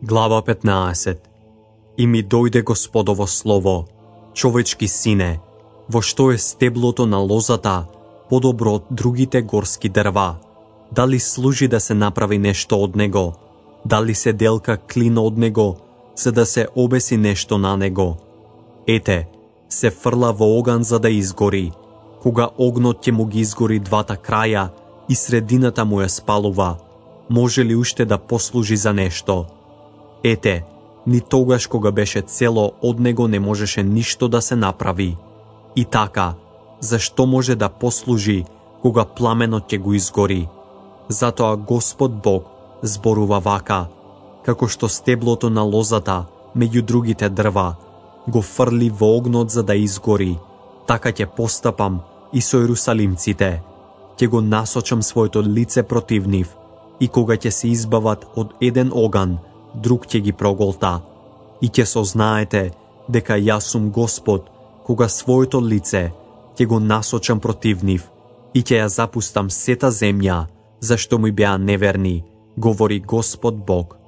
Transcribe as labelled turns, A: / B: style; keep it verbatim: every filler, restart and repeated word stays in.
A: Глава петнаесет. И ми дојде Господово слово: човечки сине, во што е стеблото на лозата подобро од другите горски дрва? Дали служи да се направи нешто од него? Дали се делка клин од него, за да се обеси нешто на него? Ете, се фрла во оган за да изгори. Кога огнот ќе му ги изгори двата краја и средината му ја спалува, може ли уште да послужи за нешто? Ете, ни тогаш кога беше цело од него не можеше ништо да се направи. И така, зашто може да послужи кога пламенот ќе го изгори? Затоа Господ Бог зборува вака: како што стеблото на лозата меѓу другите дрва го фрли во огнот за да изгори, така ќе постапам и со ерусалимците. Ќе го насочам своето лице против нив, и кога ќе се избават од еден оган, друг ќе ги проголта. И ќе сознаете дека јас сум Господ, кога своето лице ќе го насочам против нив и ќе ја запустам сета земја, зашто ми беа неверни, говори Господ Бог.